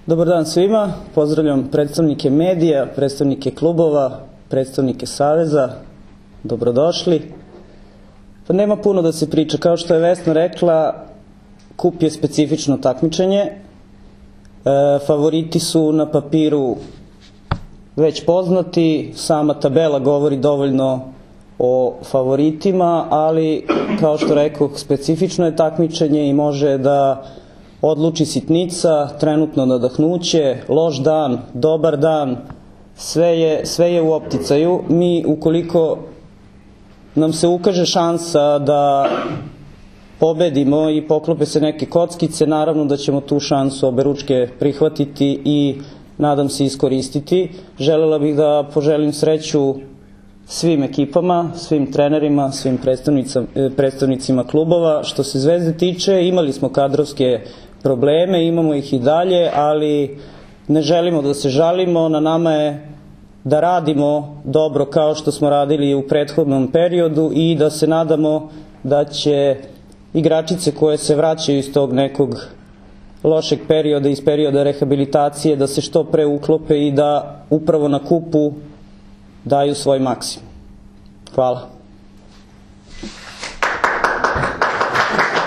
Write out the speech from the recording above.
Dobar dan svima, pozdravljam predstavnike medija, predstavnike klubova, predstavnike saveza, dobrodošli. Pa nema puno da se priča, kao što je Vesna rekla, kup je specifično takmičenje, favoriti su na papiru već poznati, sama tabela govori dovoljno o favoritima, ali kao što rekao, specifično je takmičenje i može da odluči sitnica, trenutno nadahnuće, loš dan, dobar dan, sve je u opticaju. Mi, ukoliko nam se ukaže šansa da pobedimo i poklope se neke kockice, naravno da ćemo tu šansu oberučke prihvatiti i nadam se iskoristiti. Želela bih da poželim sreću svim ekipama, svim trenerima, svim predstavnicima klubova. Što se Zvezde tiče, imali smo kadrovske probleme, imamo ih i dalje, ali ne želimo da se žalimo, na nama je da radimo dobro kao što smo radili u prethodnom periodu i da se nadamo da će igračice koje se vraćaju iz tog nekog lošeg perioda, iz perioda rehabilitacije, da se što pre uklope i da upravo na kupu daju svoj maksimum. Hvala.